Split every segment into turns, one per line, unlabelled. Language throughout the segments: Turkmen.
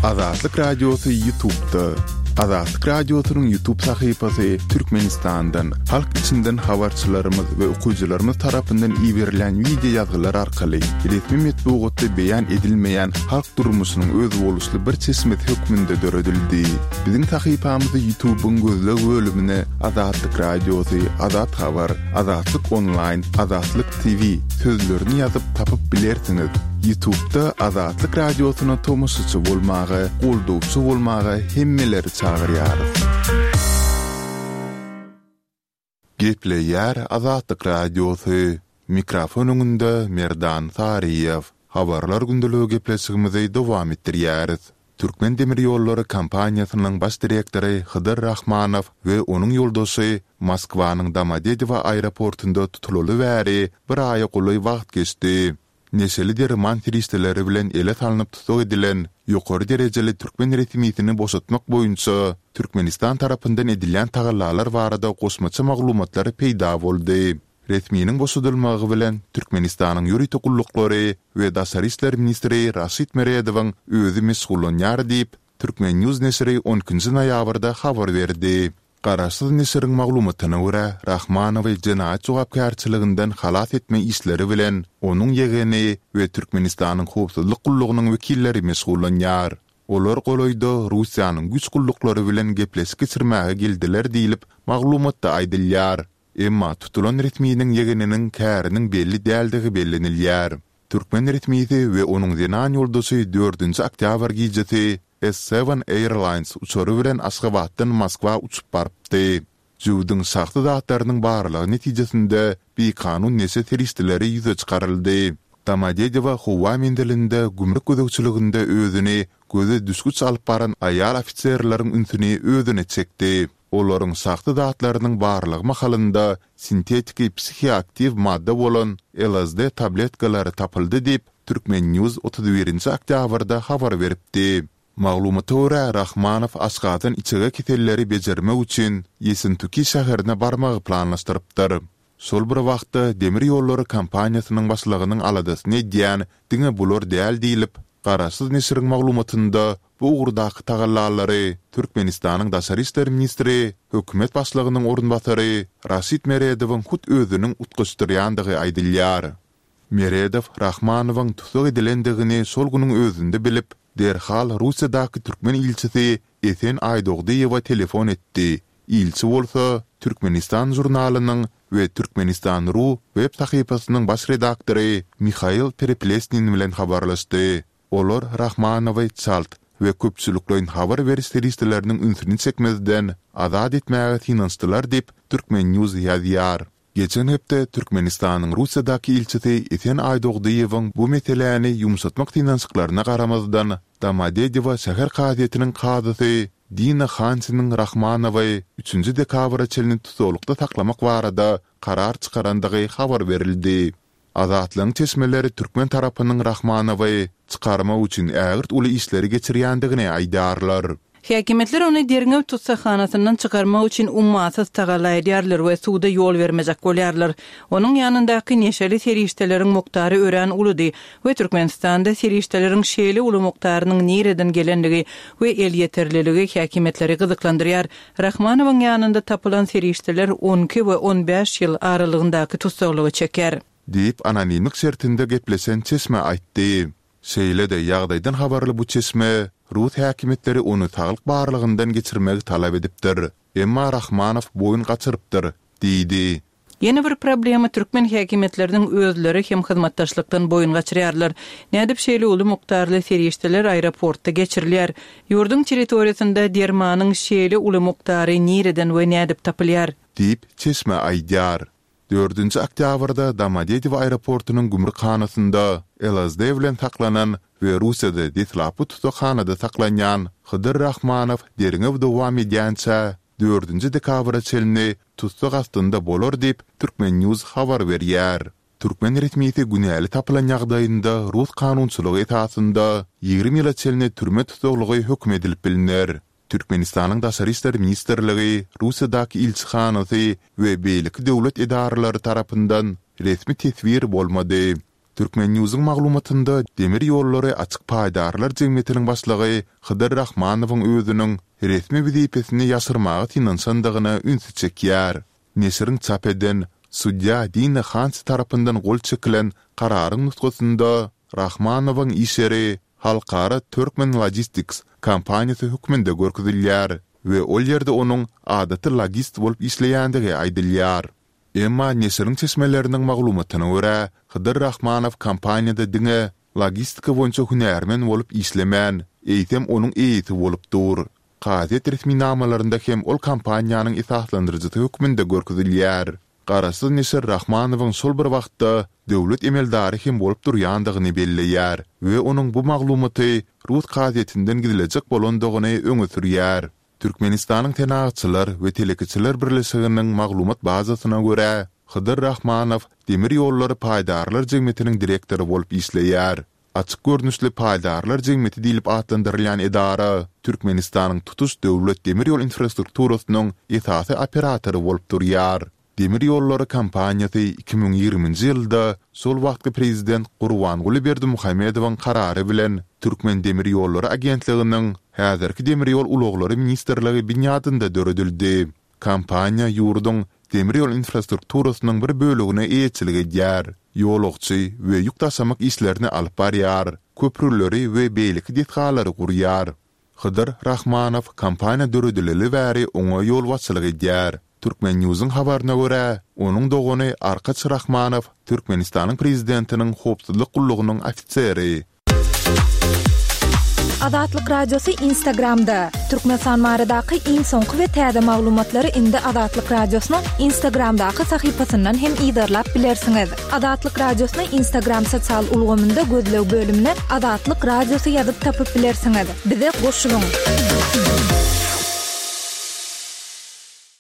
Azatlyk Radiosy Ýutubda. Azatlyk Radiosynyň Ýutub sahypasy Türkmenistandan, halk içinden habarçylarymyz we okyjylarymyz tarapyndan iberilen wideo ýazgylar arkaly resmi metbugatda beýan edilmeýän halk durmuşynyň özboluşly bir çeşmesi hökmünde döredildi. Biziň sahypamyzy Ýutubyň gözleg bölümine Azatlyk Radiosy, Azat Habar, Azatlyk Onlaýn, Azatlyk TV sözlerini ýazyp tapyp bilersiňiz. Ýutubda Azatlyk Radiosyna tomaşaçy bolmaga, goldawçy bolmaga hemmeleri çagyrýarys. Gepleýär Azatlyk Radiosy, Mikrofon öňünde Merdan Saryýew. Habarlar gündeligi gepleşigimizi dowam etdirýäris. Türkmen demir ýollary kompaniýasynyň baş direktory Hydyr Rahmanow we onuň ýoldaşy Moskwanyň Domodedowo aeroportynda tutulaly bäri bir aýa golaý wagt geçdi. Neşeli derman serişdeleri bilen ele salnyp tussag edilen ýokary derejeli türkmen resmisini boşatmak boýunça Türkmenistan tarapyndan edilýän tagallalar barada goşmaça maglumatlar peýda boldy. Resminiň boşadylmagy bilen Türkmenistanyň ýörite gulluklary we daşary işler ministri Raşid Meredowyň özi meşgullanýar diýip, Turkmen. News neşiri on ikinji noýabrda habar berdi. Garaşsyz neşiriň maglumatyna görä, Rahmanowy jenaýat jogapkärçiliginden halas etme işleri bilen onuň ýegeni we Türkmenistanyň howpsuzlyk gullugynyň wekilleri meşgullanýar. Olar golaýda Russiýanyň güýç gulluklary bilen gepleşik geçirmäge geldiler diýlip, maglumatda aýdylýar. Emma tutulan resminiň ýegeniniň käriniň belli däldigi bellenilýär. Türkmen resmisi we onuň zenan ýoldaşy dördünji oktýabr gijesi S-Seven Airlines uçary bilen Aşgabatdan Moskwa uçup barypdy. Jübüdiň şahsy zatlarynyň barlagy netijesinde bikanun neşe serişdeleri ýüze çykaryldy. Domodedowo howa menzilinde gümrük gözegçiliginde özüni göze düşgüç alyp baran aýal ofiserleriň ünsüni özüne çekdi. Olaryň şahsy zatlarynyň barlagy mahalynda sintetiki psihoaktiw madda bolan LSD tabletkalary tapyldy diýip, Turkmen. News 31 nji oktýabrda habar beripdi. Maglumata görä, Rahmanow aşgazan içege keselleri bejermek üçin Ýessentuki şäherine barmagy planlaşdyrypdyr. Şol bir wagtda, demir ýollary kompaniýasynyň başlygynyň aladasyny edýän diňe bular däl diýlip, garaşsyz neşiriň maglumatynda bu ugurdaky tagallalary Türkmenistanyň daşary işler ministri, hökümet başlygynyň orunbasary Raşid Meredowyň hut özüniň utgaşdyrýandygy aýdylýar. Meredow Rahmanowyň tussag edilendigini şol günüň özünde bilip, derhal Russiýadaky türkmen ilçisi Esen Aýdogdyýewe telefon etdi, ilçi bolsa Türkmenistan žurnalynyň we Türkmenistan. Ru web sahypasynyň baş redaktory Mihail Pereplesnin bilen habarlaşdy. Olar Rahmanowy çalt we köpçülikleýin habar beriş serişdeleriniň ünsüni çekmezden azat etmäge synanyşdylar diýip, Turkmen. News ýazýar. Geçen hepde Türkmenistanyň Russiýadaky ilçisi Esen Aýdogdyýewiň bu meseläni ýumşatmak synanyşyklaryna garamazdan, Domodedowo şäher kazyýetiniň kazysy Dina Hansiniň Rahmanowy üçünji dekabra çenli tussaglykda saklamak barada karar çykarandygy habar berildi. Azatlygyň çeşmeleri türkmen tarapynyň Rahmanowy çykarmak üçin ägirt uly işleri geçirýändigini aýdýarlar.
Häkimiýetler ony derňew tussaghanasyndan çykarmak üçin ummasyz tagalla edýärler we suda ýol bermejek bolýarlar. Onuň ýanyndaky neşeli serişdeleriň mukdary örän uludy we Türkmenistanda serişdeleriň şeýle uly mukdarynyň nireden gelendigi we elýeterliligi häkimiýetleri gyzyklandyrýar. Rahmanowyň ýanynda tapylan serişdeler on iki we on bäş ýyl aralygyndaky tussaglygy çeker.
Diýip, anonimlik şertinde gepleşen çeşme aýtdy. Şeýle-de, ýagdaýdan habarly bu çeşme rus häkimiýetleri ony saglyk barlagyndan geçirmegi talap edipdir, emma Rahmanow boýun gaçyrypdyr diýdi.
Ýene bir problema türkmen häkimiýetleriniň özleri hem hyzmatdaşlykdan boýun gaçyrýarlar. Nädip şeýle uly mukdarly serişdeler aeroportda geçirilýär? Ýurduň territoriýasynda dermanyň şeýle uly mukdary nireden we nädip tapylýar?
Diýip, çeşme aýdýar. Dördünji oktýabrda Domodedowo aeroportunyň gümrükhanasynda LSD bilen saklanan we Russiýada deslapky tussaghanada saklanýan Hydyr Rahmanow derňew dowam edýänçä, dördünji dekabra çenli tussag astynda bolar diýip, Turkmen. News habar berýär. Türkmen resmisi günäli tapylan ýagdaýynda rus kanunçylygy esasynda 20 ýyla çenli türme tussaglygy höküm edilip bilner. Türkmenistanyň Daşary işler ministrligi, Russiýadaky ilçihanasy we beýleki döwlet edaralary tarapyndan resmi teswir bolmady. Turkmen.Newsiň maglumatynda Demir ýollary açyk paýdarlar jemgyýetiniň başlygy Hydyr Rahmanowyň özüniň resmi wezipesini ýaşyrmaga synanyşandygyna ünsi çekýär. Neşiriň çap eden, sudýa Dina Hansi tarapyndan gol çekilen kararyň nusgasynda Rahmanowyň iş ýeri Halkara Turkmen Logistics kompaniýasy hökmünde görkezilýär we ol ýerde onuň adaty logist bolup işleýändigi aýdylýar. Emma neşiriň çeşmeleriniň maglumatyna görä, Hydyr Rahmanow kompaniýada diňe logistika boýunça hünärmen bolup işlemän, eýsem onuň eýesi bolup dur. Kazyýet resminamalarynda hem ol kompaniýanyň esaslandyryjysy hökmünde görkezilýär. Garaşsyz neşir Rahmanowyň şol bir wagtda döwlet emeldary hem bolup durýandygyny belleýär we onuň bu maglumaty rus kazyýetinden gizlejek bolandygyny öňe sürýär. Türkmenistanyň Senagatçylar we telekeçiler birleşiginiň maglumat bazasyna görä, Hydyr Rahmanow Demir ýollary paýdarlar jemgyýetiniň direktory bolup işleýär. Açyk görnüşli paýdarlar jemgyýeti diýlip atlandyrylýan edara Türkmenistanyň tutuş döwlet demir ýol infrastrukturasynyň esasy operatory bolup durýar. Demir ýollary kompaniýasy 2020-nji ýylda şol wagtky prezident Gurbanguly Berdimuhamedowyň karary bilen Türkmendemirýollary agentliginiň, häzirki Demir ýol ulaglary ministrligi binýadynda döredildi. Kompaniýa ýurduň demir ýol infrastrukturasynyň bir bölegine eýeçilik edýär, ýolagçy we ýük daşamak işlerini alyp barýar, köprüleri we beýleki desgalary gurýar. Hydyr Rahmanow kompaniýa döredileli bäri oňa ýolbaşçylyk edýär. Turkmennewsiň habaryna görä, onuň dogany Arkaç Rahmanow Türkmenistanyň Prezidentiniň howpsuzlyk gullugynyň ofiseri.
Azatlyk Radiosy Instagramda, Türkmenistan baradaky iň soňky we täze maglumatlary indi Azatlyk Radiosynyň Instagramdaky sahypasyndan hem yzarlap bilersiňiz. Azatlyk Radiosyny Instagram sosial ulgamynda gözleg bölümine Azatlyk Radiosy ýazyp tapyp bilersiňiz. Bize goşulyň!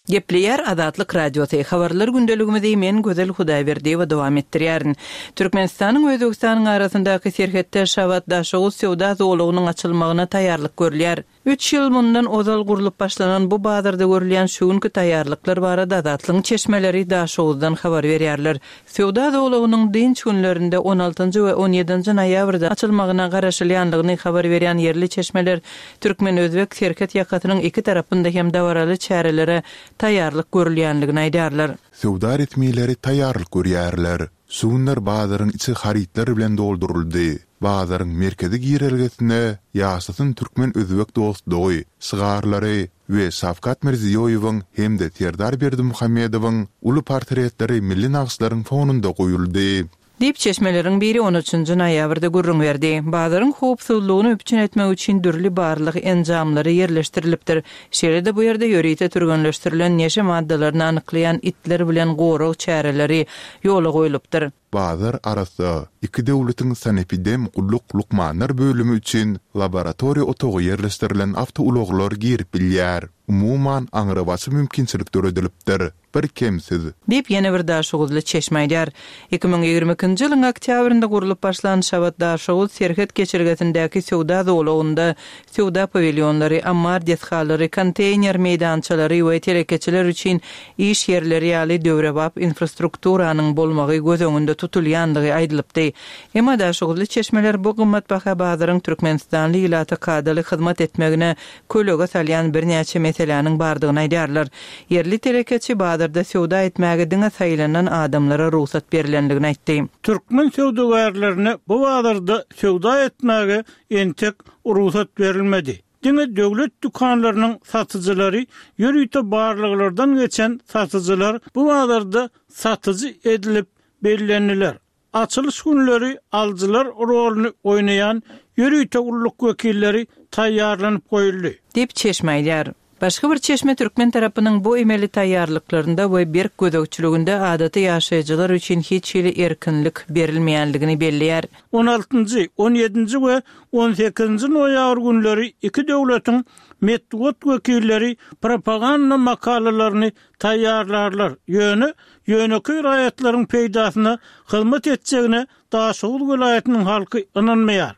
Gepleýär Azatlyk Radiosy, Habarlar gündeligimizi men Gözel Hudaýberdiýewa dowam etdirýärin. Türkmenistanyň we Özbegistanyň arasyndaky serhetde Şabat-Daşoguz söwda zolagynyň açylmagyna taýýarlyk görülýär. Üç ýyl mundan ozal gurlup başlanan bu bazarda görülýän şu günki taýýarlyklar barada Azatlygyň çeşmeleri Daşoguzdan habar berýärler. Söwda zolagynyň dynç günlerinde on altynjy we on ýedinji noýabrda açylmagyna garaşylýandygyny habar berýän ýerli çeşmeler türkmen-özbek serhet ýakasynyň iki tarapynda hem dabaraly çärelere taýýarlyk görülýändigini aýdýarlar.
Söwda resmileri taýýarlyk görýärler. Şu günler bazaryň içi harytlar bilen dolduryldy. Bazaryň merkezi girelgesine Ýaşasyn türkmen-özbek dostlugy şygarlary we Şawkat Mirziýoýewiň hem-de Serdar Berdimuhamedowyň uly portretleri milli nagyşlaryň fonunda goýuldy.
Diýip, çeşmeleriň biri on üçünji noýabrda gürrüň berdi. Bazaryň howpsuzlygyny üpjün etmek üçin dürli barlag enjamlary ýerleşdirilipdir. Şeýle-de bu ýerde ýörite türgenleşdirilen neşe maddalaryny anyklaýan itler bilen gorag çäreleri ýola goýlupdyr.
Bazar arassa. Iki döwletiň sanepidem gulluk lukmanlar bölümi üçin laboratoriýa otagy ýerleşdirilen awtoulaglar girip bilýär. Umuman, aňrybaşy mümkinçilik döredilipdir. Bir kemsiz.
Diýip, ýene bir daşoguzly çeşme aýdýar. 2022-nji ýylyň oktýabrynda gurlup başlan Şabat-Daşoguz serhet geçelgesindäki söwda zolagynda söwda pawilýonlary, ammar desgalary, konteýner meýdançalary we telekeçiler üçin iş ýerleri ýaly döwrebap infrastrukturanyň bolmagy göz öňünde tutulýandygy aýdylypdy. Emma daşoguzly çeşmeler bu gymmatbaha bazaryň türkmenistanly ilata kadaly hyzmat etmegine kölege salýan birnäçe meseläniň bardygyny aýdýarlar. Ýerli telekeçi bazarda söwda etmäge diňe saýlanan adamlara rugsat berlendigini aýtdy.
Türkmen söwdagärlerine bu bazarda söwda etmäge entek rugsat berilmedi. Diňe döwlet dükanlarynyň satyjylary, ýörite barlaglardan geçen satyjylar bu bazarda satyjy edilip bellendiler. Açylyş günleri alyjylar roluny oýnaýan ýörite gulluk wekilleri taýýarlanyp goýuldy.
Diýip, çeşme aýdýar. Başga bir çeşme türkmen tarapynyň bu emeli taýýarlyklarynda we berk gözegçiliginde adaty ýaşaýjylar üçin hiç hili erkinlik berilmeýänligini belleýär.
On altynjy, on ýedinji we on sekizinji noýabr günleri iki döwletiň metbugat wekilleri propaganda makalalaryny taýýarlarlar, ýöne ýönekeý raýatlaryň peýdasyna hyzmat etjegine Daşoguz welaýatynyň halky ynanmaýar.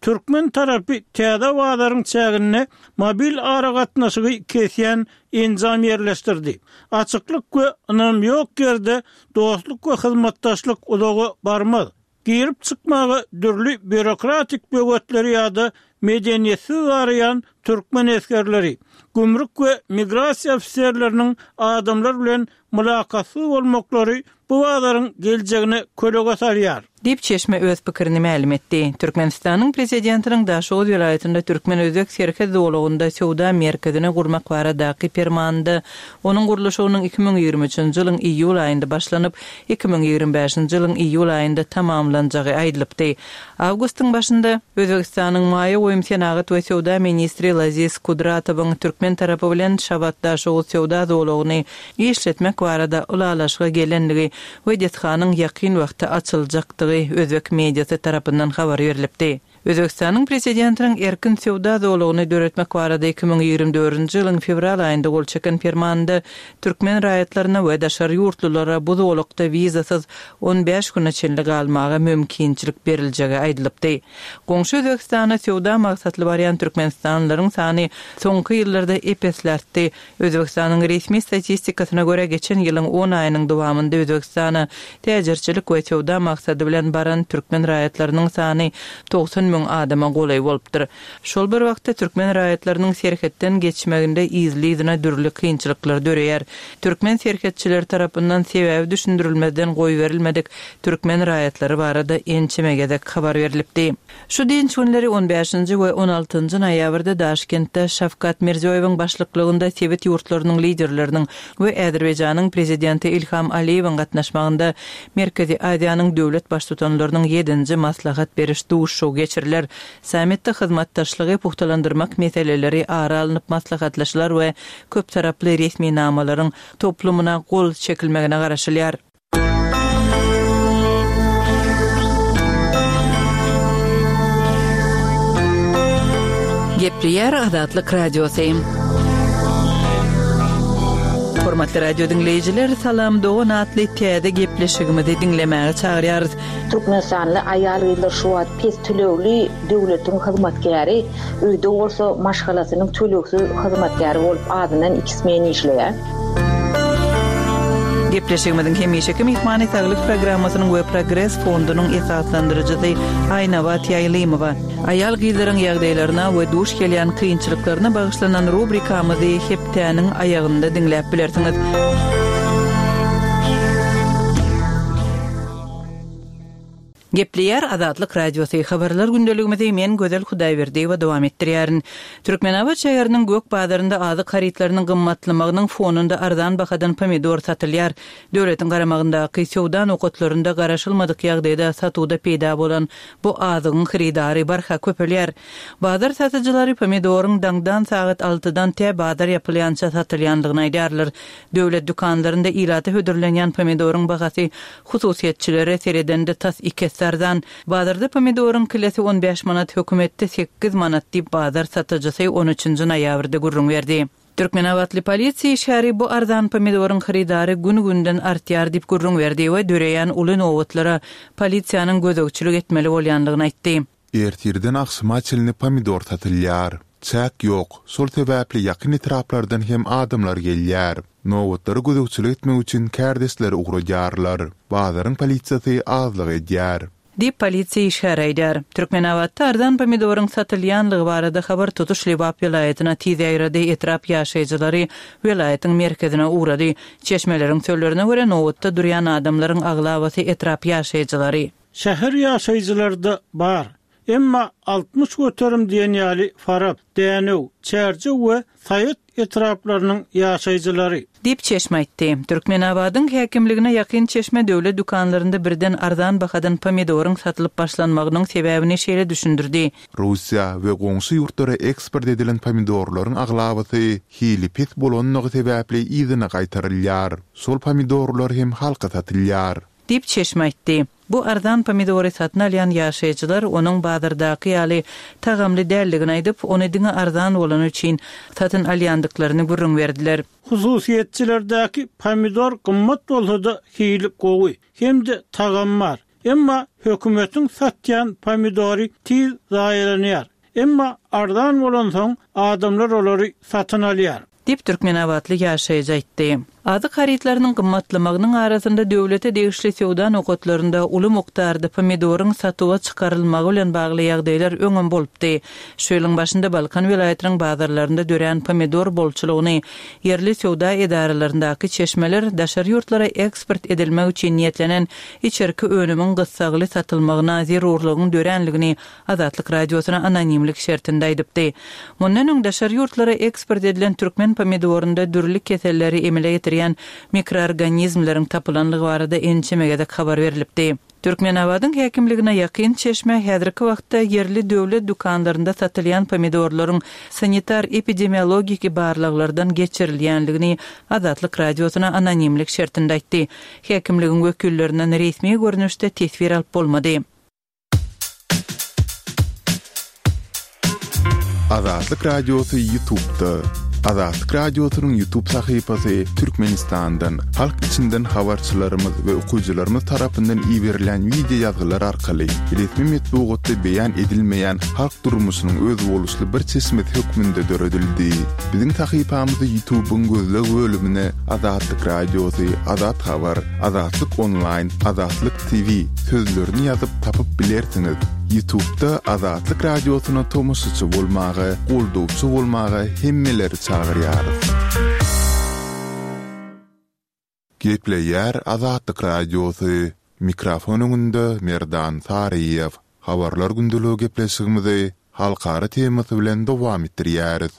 Türkmen tarapy täze bazaryň çäginde mobil aragatnaşygy kesýän enjam ýerleşdirdi. Açyklyk we ynam ýok ýerde dostluk we hyzmatdaşlyk uzaga barmaz. Girip-çykmaga dürli býurokratik böwetleri ýa-da medeniýetsiz garaýan türkmen esgerleri, gümrük we migrasiýa ofiserleriniň adamlar bilen mylakatsyz bolmaklary bu bazaryň geljegine kölege salýar.
Diýip, çeşme öz pikirini mälim etdi. Türkmenistanyň Prezidentiniň Daşoguz welaýatynda türkmen-özbek serhet zolagynda söwda merkezini gurmak baradaky Permanynda onuň gurluşygynyň 2023-nji ýylyň iýul aýynda başlanyp, 2025-nji ýylyň iýul aýynda tamamlanjagy aýdylypdy. Awgustyň başynda, Özbegistanyň maýa goýum, senagat we söwda ministri Laziz Kudratowyň türkmen tarapy bilen Şabat-Daşoguz söwda zolagyny işletmek barada ylalaşyga gelendigi we desganyň ýakyn wagtda açyljakdygy özbek mediasy tarapyndan habar berlipdi. Özbegistanyň Prezidentiniň erkin söwda zolagyny döretmek barada 2024-nji ýylyň fewral aýynda gol çeken Permanynda türkmen raýatlaryna we daşary ýurtlulara bu zolakda wizasyz 15 güne çenli galmaga mümkinçilik beriljegi aýdylypdy. Goňşy Özbegistana söwda maksatly barýan türkmenistanlylaryň sany soňky ýyllarda ep-esli artdy. Özbegistanyň resmi statistikasyna görä, geçen ýylyň on aýynyň dowamynda Özbegistana täjirçilik we söwda maksady bilen baran türkmen raýatlarynyň sany 90 müň adama golaý bolupdyr. Şol bir wagtda, türkmen raýatlarynyň serhetden geçmeginde yzly-yzyna dürli kynçylyklar döreýär. Türkmen serhetçileri tarapyndan sebäbi düşündirilmezden goýberilmedik türkmen raýatlary barada ençeme gezek habar berlipdi. Şu dynç günleri on bäşinji we on altynjy noýabrda Daşkentde Şawkat Mirziýoýewiň başlyklygynda sebit ýurtlarynyň liderleriniň we Azerbaýjanyň Prezidenti Ilham Aliýewiň gatnaşmagynda Merkezi Aziýanyň döwlet Baştutanlarynyň ýedinji maslahat beriş duşuşygy geçiriler. Sammitde hyzmatdaşlygy pugtalandyrmak meseleleri ara alnyp maslahatlaşylar we köptaraply resminamalaryň toplumyna gol çekilmegine garaşylýar. Gepleýär Azatlyk Radiosy. Hormatly radio diňleýjiler, Salam dogan atly täze gepleşigimizi diňlemäge çagyrýarys.
Türkmenistanly aýal-gyzlar şu wagt pes tölegli döwletiň hyzmatkäri, öýde bolsa maşgalasynyň tölegsiz hyzmatkäri bolup azyndan iki smen işleýär.
Gepleşigimiziň hemişeki myhmany Saglyk programmasynyň we Progres fondunyň esaslandyryjysy Aýnabat Ýaýlymowa. Aýal-gyzlaryň ýagdaýlaryna we duş gelýän kynçylyklaryna bagyşlanan rubrikamyzy hepdäniň aýagynda diňläp bilersiňiz. Gepleýär Azatlyk Radiosy, Habarlar gündeligimizi men Gözel Hudaýberdiýewa dowam etdirýärin. Türkmenabat şäheriniň gök bazarynda azyk harytlarynyň gymmatlamagynyň fonunda arzan bahadan pomidor satylýar. Döwletiň garamagyndaky söwda nokatlarynda garaşylmadyk ýagdaýda satuwda peýda bolan bu azygyň hyrydary barha köpelýär. Bazar satyjylary pomidoryň daňdan sagat altydan tä bazar ýapylýança satylýandygyny aýdýarlar. Döwlet dükanlarynda ilata hödürlenýän pomidoryň bahasy hususyýetçilere seredende tas iki esse arzan. Bazarda pomidoryň kilesi on bäş manat, hökümetde sekiz manat diýip, bazar satyjysy on üçünji noýabrda gürrüň berdi. Türkmenabatly polisiýa işgäri bu arzan pomidoryň hyrydary gün-günden artýar diýip gürrüň berdi we döreýän uly nobatlara polisiýanyň gözegçilik etmeli bolýandygyny aýtdy.
Ertirden agşama çenli pomidor satylýar. Çäk ýok, şol sebäpli ýakyn etraplardan hem adamlar gelýär. Nobatlara gözegçilik etmek üçin kärdeşleri ugradýarlar. Bazaryň polisiýasy azlyk edýär.
Diýip, polisiýa işgäri aýdýar. Türkmenabatda arzan pomidoryň satylýanlygy barada habar tutuş Lebap welaýatyna tiz ýaýrady, etrap ýaşaýjylary welaýatyň merkezine ugrady. Çeşmeleriň sözlerine görä, nobatda durýan adamlaryň aglabasy etrap ýaşaýjylary.
Şäher ýaşaýjylary-da bar. Emma 60% diýen ýaly Farap, Dänew, Çärjew we Saýat etraplarynyň ýaşaýjylary.
Diýip, çeşme aýtdy. Türkmenabadyň häkimligine ýakyn çeşme döwlet dükanlarynda birden arzan bahadan pomidoryň satylyp başlanmagynyň sebäbini şeýle düşündirdi.
Russiýa we goňşy ýurtlara eksport edilen pomidorlaryň aglabasy hili pes bolanlygy sebäpli yzyna gaýtarylýar. Şol pomidorlar hem halka satylýar.
Diýip, çeşme aýtdy. Bu arzan pomidory satyn alýan ýaşaýjylar onuň bazardaky ýaly tagamly däldigini aýdyp, ony diňe arzan bolany üçin satyn alýandyklaryny gürrüň berdiler.
Hususyýetçilerdäki pomidor gymmat bolsa-da hili gowy hem-de tagamy bar. Emma hökümetiň satýan pomidory tiz zaýalanýar. Emma arzan bolansoň adamlar olary satyn alýar.
Diýip, türkmenabatly ýaşaýjy aýtdy. Azyk harytlarynyň gymmatlamagynyň arasynda döwlete degişli söwda nokatlarynda uly mukdarda pomidoryň satuwa çykarylmagy bilen bagly ýagdaýlar öňem bolupdy. Şu ýylyň başynda Balkan welaýatynyň bazarlarynda dörän pomidor bolçulygyny ýerli söwda edaralaryndaky çeşmeler daşary ýurtlara eksport edilmek üçin niýetlenen içerki önümiň gyssagly satylmagyna zerurlygyň döränligini Azatlyk Radiosyna anonimlik şertinde aýdypdy. Mundan öň daşary ýurtlara eksport edilen türkmen pomidorynda dürli keselleri emele getirýän mikroorganizmleriň tapylanlygy barada ençeme gezek habar berlipdi. Türkmenabadyň häkimligine ýakyn çeşme häzirki wagtda ýerli döwlet dükanlarynda satylýan pomidorlaryň sanitar-epidemiologiki barlaglardan geçirilýänligini Azatlyk Radiosyna anonimlik şertinde aýtdy. Häkimligiň wekillerinden resmi görnüşde teswir alyp bolmady.
Azatlyk Radiosy Ýutubda. Azatlyk Radiosynyň Ýutub sahypasy Türkmenistandan, halk içinden habarçylarymyz we okyjylarymyz tarapyndan iberilýän wideo ýazgylar arkaly resmi metbugatda beýan edilmeýän halk durmuşynyň özboluşly bir çeşmesi hökmünde döredildi. Biziň sahypamyzy Ýutubyň gözleg bölümine Azatlyk Radiosy, Azat Habar, Azatlyk Onlaýn, Azatlyk TV sözlerini ýazyp tapyp bilersiňiz. Ýutubda Azatlyk Radiosyna tomaşaçy bolmaga, goldawçy bolmaga hemmeleri çagyrýarys. Gepleýär Azatlyk Radiosy, Mikrofon öňünde Merdan Saryýew. Habarlar gündeligi gepleşigimizi halkara temasy bilen dowam etdirýäris.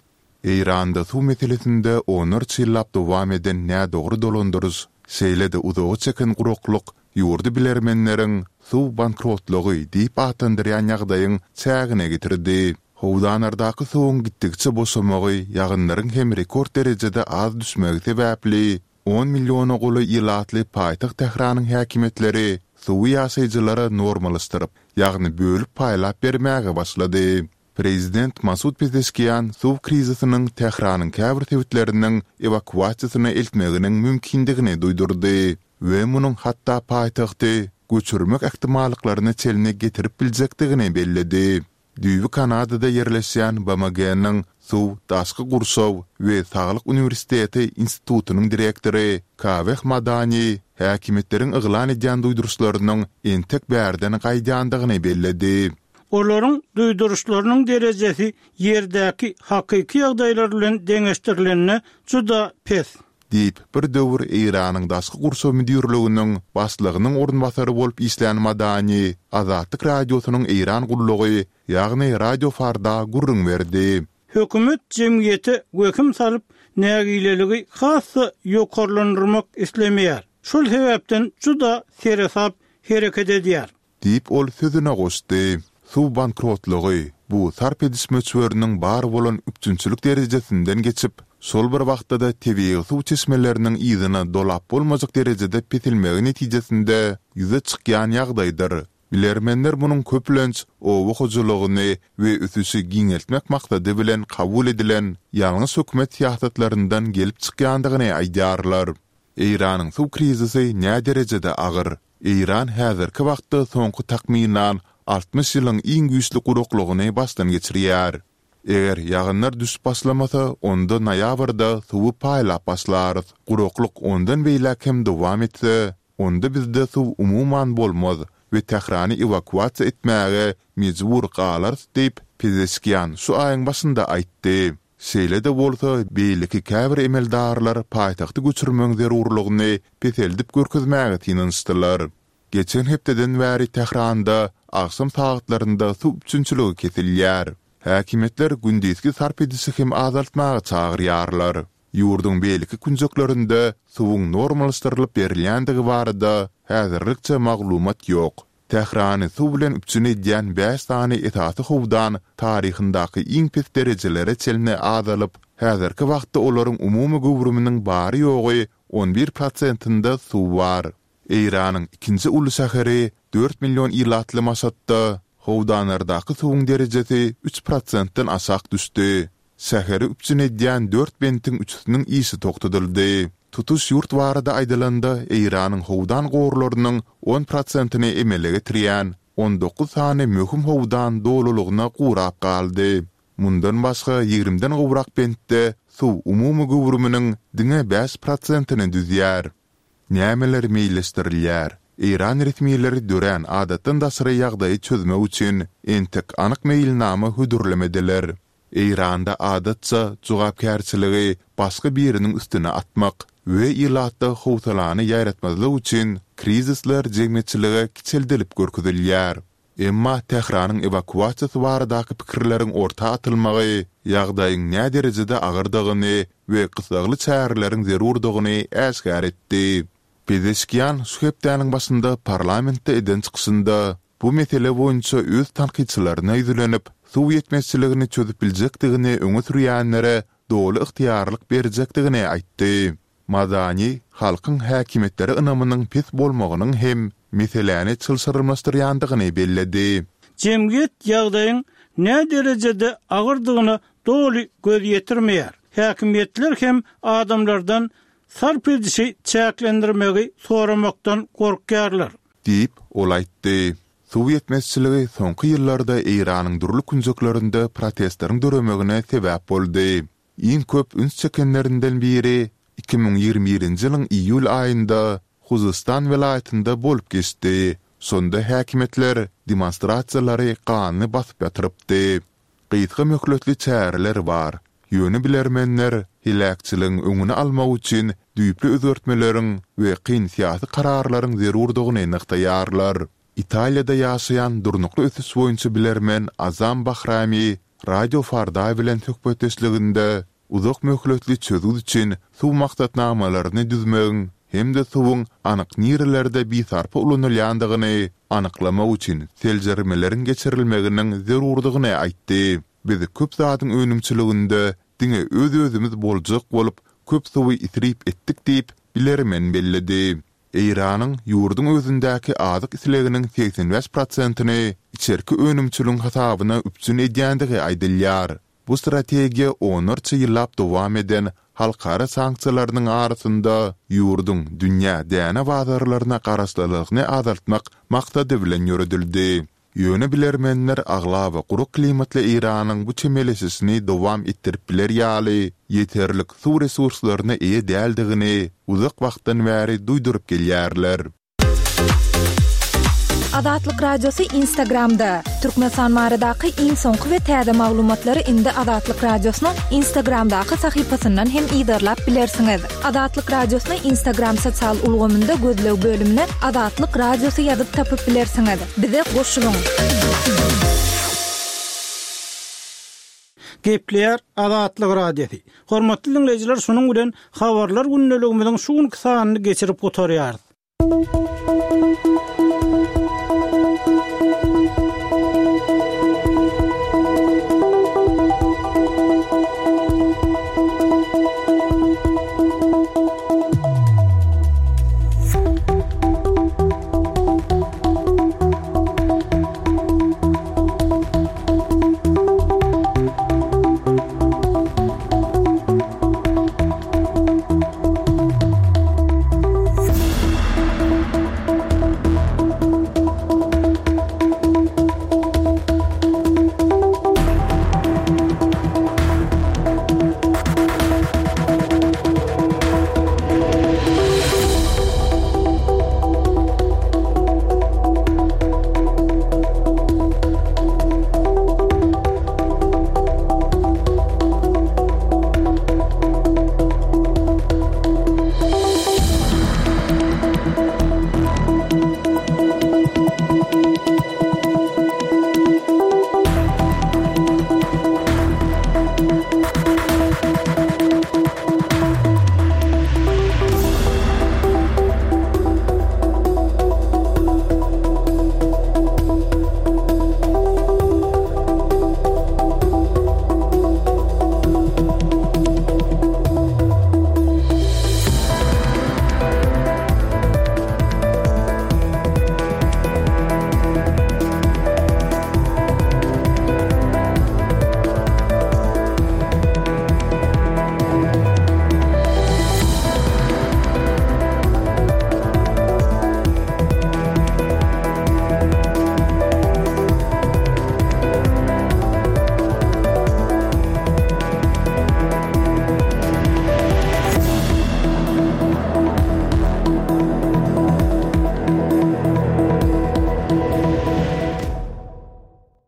Eýranda suw meselesinde onlarça ýyllap dowam eden nädogry dolandyryş, şeýle-de uzaga çeken guraklyk ýurdy bilermenleriň suw bankrotlygy diýip atlandyrýan ýagdaýyň çägine getirdi. Howdanlardaky suwuň gitdigiçe boşamagy, ýagynlaryň hem rekord derejede az düşmegi sebäpli, on milliona golaý ilatly paýtagt Tähranyň häkimiýetleri suwy ýaşaýjylara normalaşdyryp, ýagny bölüp paýlap bermäge başlady. Prezident Masud Pezeşkian suw krizisiniň Tähranyň käbir sebitleriniň ewakuasiýasyna eltmeginiň mümkindigini duýdurdy we munuň hatda paýtagty göçürmek ähtimallyklaryna çenli getirip biljekdigini belledi. Düýbi Kanadada ýerleşýän BMG-niň Suw, daşky gurşaw we saglyk uniwersiteti institutynyň direktory Kaweh Madani häkimiýetleriň yglan edýän duýduryşlarynyň entek bärden gaýdýandygyny belledi.
Olaryň duýduryşlarynyň derejesi ýerdäki hakyky ýagdaýlar bilen deňeşdirilende juda pes.
Diýip, bir döwür Eýranyň Daşky gurşaw müdirliginiň başlygynyň orunbasary bolup işlän Madani Azatlyk Radiosynyň Eýran gullugy, ýagny Radio Farda gürrüň berdi.
Hökümet jemgyýete wehim salyp, nägileligi has-da ýokarlandyrmak islemeýär. Şol sebäpden juda seresap hereket edýär.
Diýip, ol sözüne goşdy. Suw bankrotlygy, bu sarp ediş möçberiniň bar bolan üpjünçilik derejesinden geçip, şol bir wagtda-da tebigy suw çeşmeleriniň yzyna dolap bolmajak derejede peselmegi netijesinde ýüze çykýan ýagdaýdyr. Bilermenler munuň köplenç oba hojalygyny we ösüşi giňeltmek maksady bilen kabul edilen ýalňyş hökümet syýasatlaryndan gelip çykýandygyny aýdýarlar. Eýranyň suw krizisi näderejede agyr? Eýran häzirki wagtda soňky takmynan 60 ýylyň iň güýçli guraklygyny başdan geçirýär. Eger ýagynlar düşüp başlamasa, onda noýabrda suwy paýlap başlarys. Guraklyk ondan beýläk hem dowam etse, onda bizde suw umuman bolmaz we Tährany ewakuasiýa etmäge mejbur galarys diýip, Pezeşkian şu aýyň başynda aýtdy. Şeýle-de bolsa, beýleki käbir emeldarlar paýtagty göçürmegiň zerurlygyny peseldip görkezmäge synanyşdylar. Geçen hepdeden bäri Tähranda agşam sagatlarynda suw üpjünçiligi kesilýär. Häkimiýetler gündizki sarp edişi hem azaltmaga çagyrýarlar. Ýurduň beýleki künjeklerinde suwuň normallaşdyrylyp berilýändigi barada häzirlikçe maglumat ýok. Tährany suw bilen üpjün edýän bäş sany esasy howdan taryhyndaky iň pes derejelere çenli azalyp, häzirki wagtda olaryň umumy göwrüminiň bary-ýogy 11 prosentinde suw bar. Eýranyň ikinji uly şäheri, dört million ilatly Maşatda howdanlardaky suwuň derejesi üç prosentden aşak düşdi. Şäheri üpjün edýän dört bentiň üçüsiniň işi togtadyldy. Tutuş ýurt barada aýdylanda, Eýranyň howdan gorlarynyň on prosentini emele getirýän 19 sany möhüm howdan dolulygyna gurap galdy. Mundan başga, ýigrimden gowrak bentde suw umumy göwrüminiň diňe 5 prosentini düzýär. Nämeler meýilleşdirilýär? Eýran resmileri dörän adatdan daşary ýagdaýy çözmek üçin entek anyk meýilnama hödürlemediler. Eýranda adatça jogapkärçiligi başga biriniň üstüne atmak we ilatda howsalany ýaýratmazlyk üçin krizisler jemgyýetçilige kiçeldilip görkezilýär. Emma Tähranyň ewakuasiýasy baradaky pikirleriň orta atylmagy ýagdaýyň näderejede agyrdygyny we gyssagly çäreleriň zerurdygyny äşgär etdi. Pezeşkian şu hepdäniň başynda parlamentde eden çykyşynda, bu mesele boýunça öz tankytçylaryna ýüzlenip, suw ýetmezçiligini çözüp biljekdigini öňe sürýänlere doly ygtyýarlyk berjekdigini aýtdy. Madani halkyň häkimiýetlere ynamynyň pes bolmagynyň hem meseläni çylşyrymlaşdyrýandygyny belledi.
Jemgyýet ýagdaýyň näderejede agyrdygyna doly göz ýetirmeýär. Häkimiýetler hem adamlardan sarp edişi çäklendirmegi soramakdan gorkýarlar.
Diýip, ol aýtdy. Suw ýetmezçiligi soňky ýyllarda Eýranyň dürli künjeklerinde protestleriň döremegine sebäp boldy. Iň köp üns çekenlerinden biri 2021-nji ýylyň iýul aýynda Huzystan welaýatynda bolup geçdi. Şonda häkimiýetler demonstrasiýalary ganly basyp ýatyrypdy. Gysga möhletli çäreler bar, ýöne bilermenler heläkçiligiň öňüni almak üçin düýpli özgertmeleriň we kyn syýasy kararlaryň zerurdygyny nygtaýarlar. Italiýada ýaşaýan durnukly ösüş boýunça bilermen Azam Bahrami Radio Farda bilen söhbetdeşliginde Uzak möhletli çözgüt üçin suw maksatnamalaryny düzmegiň hem-de suwuň anyk nirelerde bisarpa ulanylýandygyny anyklamak üçin seljermeleriň geçirilmeginiň zerurdygyny aýtdy. Biz köp zadyň önümçiliginde diňe öz-özümiz boljak bolup, köp suwy isrip etdik diýip, bilermen belledi. Eýranyň ýurduň özündäki azyk isleginiň 85 prosentini içerki önümçiligiň hasabyna üpjün edýändigi aýdylýar. Bu strategiýa onlarça ýyllap dowam eden halkara sanksiýalarynyň arasynda ýurduň dünýä däne bazarlaryna garaşlylygyny azaltmak maksady bilen ýöredildi. Ýöne bilermenler aglaba gurak klimatly Eýranyň bu çemeleşişini dowam etdirip biler ýaly ýeterlik suw resurslaryna eýe däldigini uzak wagtdan bäri duýduryp gelýärler.
Azatlyk Radiosy Instagramda, Türkmenistan baradaky iň soňky we täze maglumatlary indi Azatlyk Radiosynyň Instagramdaky sahypasyndan hem yzarlap bilersiňiz. Azatlyk Radiosyny Instagram sosial ulgamynda gözleg bölümine Azatlyk Radiosy ýazyp tapyp bilersiňiz. Bize goşulyň!
Gepleýär Azatlyk Radiosy. Hormatly diňleýjiler şunuň bilen Habarlar gündeligimiziň şu günki sanyny geçirip gutarýarys.